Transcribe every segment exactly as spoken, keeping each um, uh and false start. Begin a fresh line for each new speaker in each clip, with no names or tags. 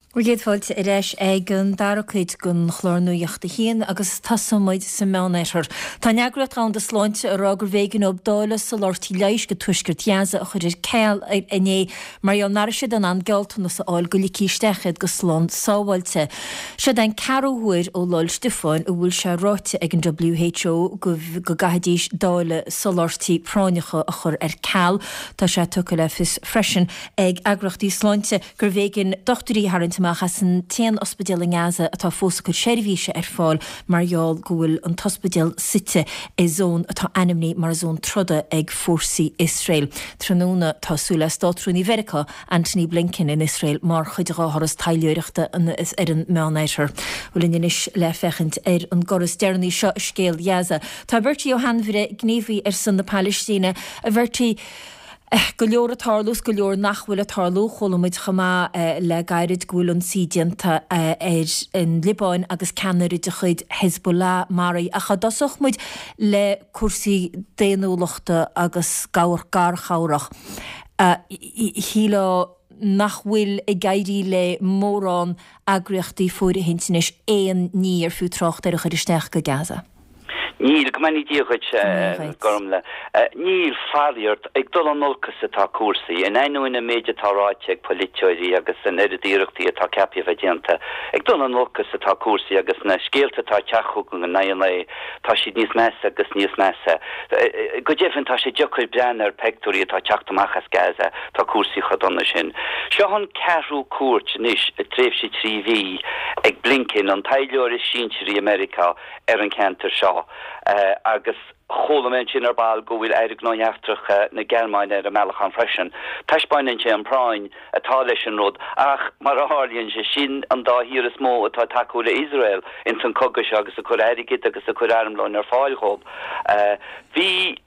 Bhur gcéad fáilte ar ais ag an dara cuid den chlár Nuacht a hAon agus tosóidh muid sa Meánoirthear. Tá an Eagraíocht Dhomhanda Sláinte ag rá gurbh éigean dóibh dáileadh soláthairtí leighis go tuaisceart Ghaza a chur ar ceal inné mar gheall nach raibh siad in ann gealltanas a fháil go ligfí isteach iad go slán sábháilte. Seo den ceathrú huair ó Lá 'le Stiofáin a bhfuil sé ráite ag an WHO go go gcaithfidís dáileadh soláthairtí práinneacha a chur ar ceal. Tá sé tugtha le fios freisin ag eagraíochtaí sláinte gurbh éigean dochtúirí a tharraingt amach as an t-aon ospidéal i nGaza atá fós ag cur seirbhíse ar fáil mar gheall go bhfuil an t-ospidéal suite i zón atá ainmnithe mar zón troda ag fórsaí Iosrael. Tráthnóna tá súil le Státrúnaí Mheiriceá Antony Blinken in Iosrael mar chuid dá thuras taidhleoireachta ar an Meánoirthear. Bhuel linn anois le féachaint ar an gcor is deireanaí seo i scéal Ghaza. Tá Bertie Ó hAinmhire, gníomhaí ar son na Palaistíne. A Bhertie, Go leor ag tarlú is go leor nach bhfuil ag tarlú. Chuala muid chomh maith le gairid go bhfuil ionsaí déanta ar an Liobáin agus ceannaire de chuid Hezbollah maraithe. Ach dá dtosódh muid le cúrsaí daonnúlachta agus garchabhrach, shílfeá nach bhfuil ag éirí le mórán eagraíochtaí fóirithint anois aon ní ar fiú trácht air a chur isteach go Gaza.
Níl, go mbeannaí Dia dhuit, Gormlaith. Níl, faraor, ag dul in olcas atá cúrsaí. In ainneoin an méid atá ráite ag polaiteoirí agus an oiread iarrachtaí atá ceaptha a bheith déanta, ag dul in olcas atá cúrsaí agus na scéalta atá ag teacht chugainn in aghaidh an lae, tá siad níos measa agus níos measa. Go deimhin, tá sé deacair breathnú ar peictiúirí atá ag teacht amach as Gaza, tá cúrsaí chomh dona sin. Seo an ceathrú cuairt anois i dtréimhse trí mhí ag Blinken, an taidhleoir is sinsearaí i Meiriceá, ar an cheantar seo agus chuala mé ansin ar ball go bhfuil Aire Gnóthaí Eachtracha na Gearmáine ar an mbealach ann freisin. Taispeáineann sé an phráinn atá leis an rud ach mar a tharlaíonn sé, sin an dá thír is mó atá ag tacú le Iosrael ins an cogadh seo agus ag cur airgid agus ag cur armlóin ar fáil dhóibh. Bhí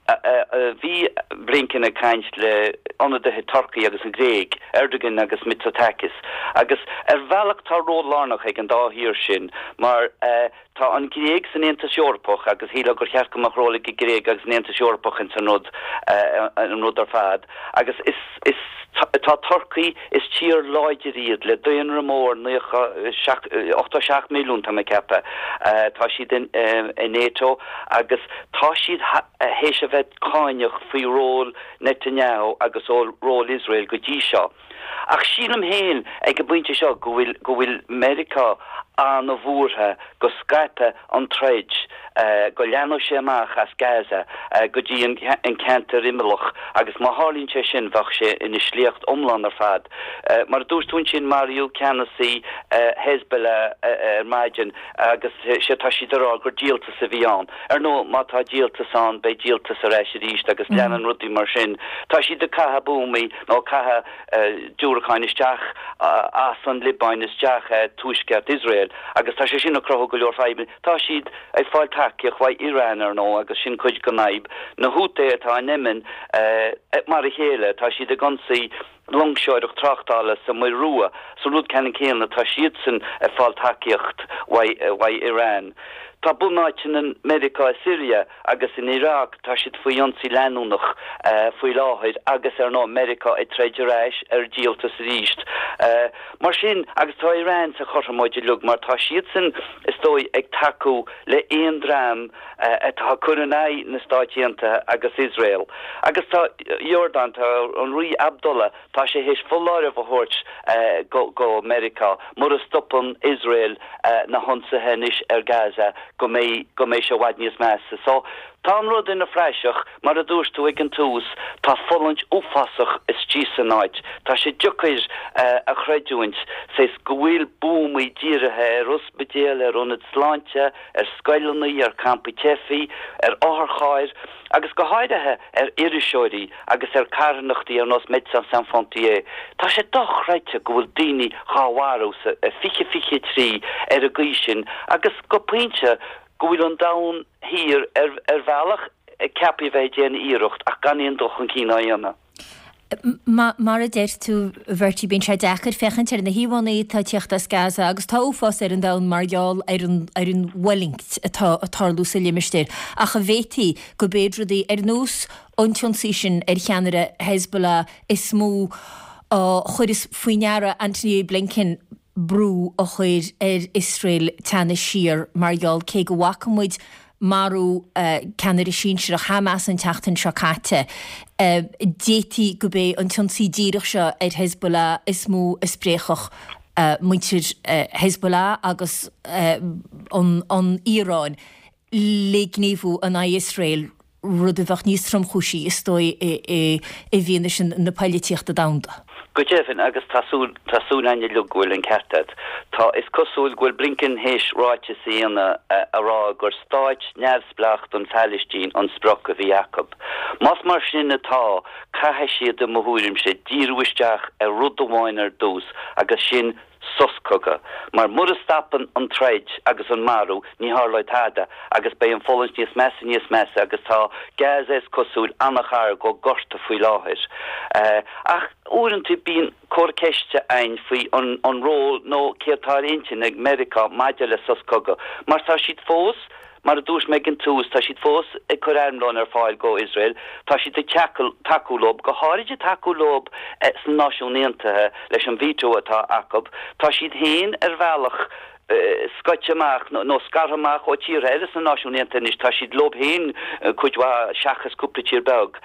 bhí Blinken ag caint le ionadaithe Turcaí agus an Ghréig, Erdogan agus Mitsotakis, agus ar bhealach tá ról lárnach ag an dá thír sin mar Tá an Ghréig san Aontas Eorpach agus shílfeá gur cheart go mbeadh ról ag an Ghréig agus an Aontas Eorpach ins an rud an rud ar fad agus is is tá Turcaí is tír láidir iad le daonra mór naocha seacht ochtó seacht milliún tá mé ag ceapadh tá siad in i NATO agus tá siad théis a bheith cáineach faoi ról Netanyahu agus ról Iosrael go dtí seo. Ach sílim féin ag an bpointe seo go bhfuil go bhfuil Meiriceá an-bhuartha go scaipfeadh an troid, go leathnódh sé amach as Gaza go dtí an ceantar imeallach agus má tharlaíonn sé sin bheadh sé ina sléacht iomlán ar fad. Mar a dúirt tú ansin maraíodh ceannasaí Hezbollah ar maidin agus sé tá siad ag rá gur díoltas a bhí ann. Ar ndóigh má tá díoltas ann beidh díoltas ar ais arís agus leanann rudaí mar sin. Tá siad ag caitheamh buamaí nó ag caitheamh diúracáin isteach as an Liobáin isteach i tuaisceart Iosrael agus tá sé sin ag cruthú go leor fadhbanna. Tá siad ag fáil tacaíocht uaidh Iran, ar ndóigh, agus sin cuid den fhadhb. Na Houthi atá in Yemen, mar a chéile, tá siad ag ionsaí loingseoireacht tráchtála sa Muir Rua, so rud ceannann céanna, tá siadsan ag fáil tacaíocht uaidh Iran. Tá bunáiteanna Meiriceá i Siria agus in Iraq, tá siad faoi ionsaí leanúnach faoi láthair agus ar ndóigh Meiriceá ag troid ar ais ar díoltas arís. Mar sin, agus tá Iran sa chothromóid uilig mar tá siadsan is dóigh ag tacú le aon dream atá ag cur in aghaidh na Stáit Aontaithe agus Iosrael. Agus tá Iordáin, tá an Rí Abdullah, tá sé théis foláireamh a thabhairt go go Meiriceá mura stopann Iosrael na hionsaithe anois ar Gaza go mbeidh go mbeidh sé i bhfad níos measa. So, tá an rud ina phraiseach, mar a dúirt tú ag an tús, tá fulaingt uafásach istigh san áit. Tá sé deacair a chreidiúint, saghas, go bhfuil buamaí dírithe ar ospidéil, ar ionaid sláinte, ar scoileanna, ar campaí teifigh, ar otharchairr, agus go háirithe ar iriseoirí agus ar carthanachtaí ar nós Médecins Sans Frontières. Tá sé dochreidte go bhfuil daoine dhá mharú sa fiche fiche a trí ar an gcaoi sin agus go pointe go bhfuil an domhan thiar ar ar bhealach ag ceapadh a bheith ag déanamh iarracht ach gan aon dul chun cinn á dhéanamh.
Mar a deir tú, a Bhertie, bíonn sé deacair féachaint ar na híomhánna atá ag tíocht as Gaza agus tá uafás ar an domhan mar gheall ar an ar an bhfulaingt atá ag tarlú sa limistéar. Ach an bhféadfaí go mb'iad rudaí ar nós an t-ionsaí sin ar cheannaire Hezbollah is mó a chuireas faoi ndeara Antony Blinken brú a chur ar Iosrael teannadh siar mar gheall cé go bhfaca muid marú ceannaire sinsearach Hamas an tseachtain seo caite, d'fhéadfaí gurb é an t-ionsaí díreach seo ar Hezbollah is mó a spréachfadh muintir Hezbollah agus an Iaráin le gníomhú in aghaidh Iosrael, rud a bheadh níos tromchúisí, is dóigh, i bhfianaise na poilitíochta domhanda.
Go deimhin, agus tá súil, tá súil againn uilig go bhfuil an ceart agat. Tá, is cosúil go bhfuil Blinken théis ráiteas a dhéanamh a rá gur stáit neamhspleách don Phalaistín an sprioc a bhí acu. Más mar sin atá, caithfidh siad, i mo thuairimse, díriú isteach ar rud amháin ar dtús agus sin sos cogaidh. Mar mura stopann an troid agus an marú, ní tharlóidh tada agus beidh an fulaingt níos measa níos measa agus tá Gaza, is cosúil, an-ghar go gorta faoi láthair. Ach uaireanta bíonn comhartha ceiste ann faoi an ról nó céard atá ar intinn ag Meiriceá maidir le sos cogaidh mar tá siad fós Mar a dúirt mé ag an tús, tá siad fós ag cur armlóin ar fáil go Iosrael, tá siad ag tacú leo, go háirid ag tacú leo sna Náisiúin Aontaithe leis an veto atá acu. Tá siad féin ar bhealach scoite amach nó scartha amach ó tíortha eile sna Náisiúin Aontaithe anois, tá siad leo féin cuid mhaith seachas cúpla tír beag.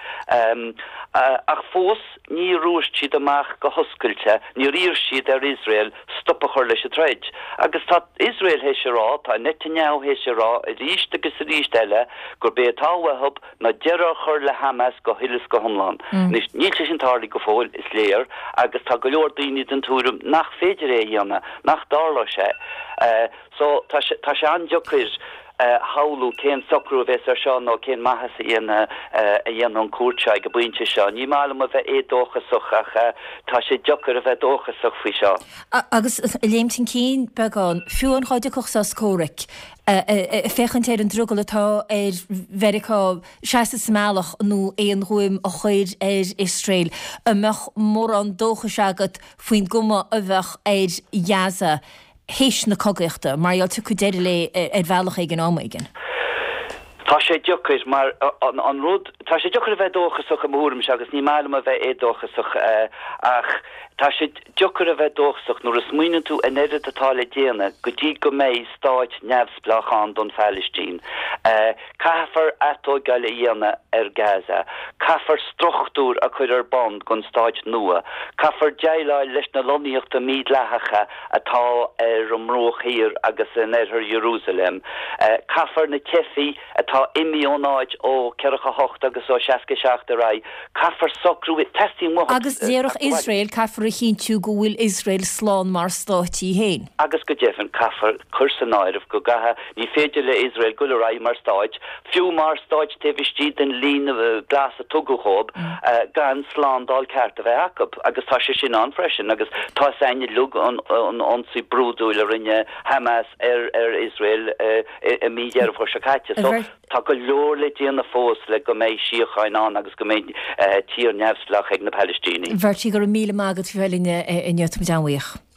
Ach fós níor dhúirt siad amach go hoscailte, níor iarr siad ar Iosrael stop a chur leis an troid. Agus tá Iosrael théis a rá, tá Netanyahu théis a rá arís agus arís eile gurb é atá uathu ná deireadh a chur le Hamas go huile is go hiomlán. Anois, níl sé sin tarlaithe go fóill, is léir, agus tá go leor daoine den tuairim nach féidir é a dhéanamh, nach dtarlóidh sé. So, tá sé, tá sé an-deacair. a shamhlú cén socrú a bheas ar seo nó cén maitheas a dhéanfaidh an cuairt seo ag an bpointe seo. Ní maith liom a bheith éadóchasach ach tá sé deacair a bheith dóchasach faoi seo.
Agus ag léimt chun cinn beagán, fiú amháin dá dtiocfadh sos comhraic, féachaint ar an drogall atá ar Mheiriceá seasamh sa mbealach nó aon ghuaim a chur ar Iosrael, an mbeadh mórán dóchais agat faoin gcuma a bheadh ar Ghaza théis na cogaíochta, mar gheall tiocfaidh deireadh léi ar bhealach éigin am éigin.
Tá sé deacair mar an rud, tá sé deacair a bheith dóchasach i mo thuairimse agus ní maith liom a bheith éadóchasach ach tá sé deacair a bheith dóchasach nuair a smaoineann tú an oiread atá le déanamh go dtí go mbeidh stáit neamhspleách ann don Phalaistín. Caithfear atógáil a dhéanamh ar Gaza. Caithfear struchtúir a chur ar bun don stáit nua. Caithfear déileáil leis na lonnaíochtaí mídhleathacha atá ar an mBruach Thiar agus in oirthear Iarúsailéim. Caithfear na teifigh atá imithe ón áit ó ceathracha hocht agus ó seasca seacht ar aghaidh, caithfear socrú, teastaíonn uathu.
Agus déarfadh Iosrael, caithfear a chinntiú go bhfuil Iosrael slán mar stát í féin.
Agus go deimhin, caithfear cur san áireamh go gcaithfidh, ní féidir le Iosrael goil ar aghaidh mar stáit, fiú mar stáit taobh istigh den líne glas a tugadh dhóibh, gan slándáil ceart a bheith acu. Agus tá sé sin ann freisin. Agus tá 'fhios a'inn uilig an ionsaí brúidiúil a rinne Hamas ar ar Iosrael i mí Dheireadh Fómhair seo caite. So tá go leor le déanamh fós le go mbeidh síocháin ann agus go mbeidh tír neamhspleách ag na Palaistínigh.
Bhertie, go raibh míle maith agat faoi bheith linn inniu, tá muid an-bhuíoch.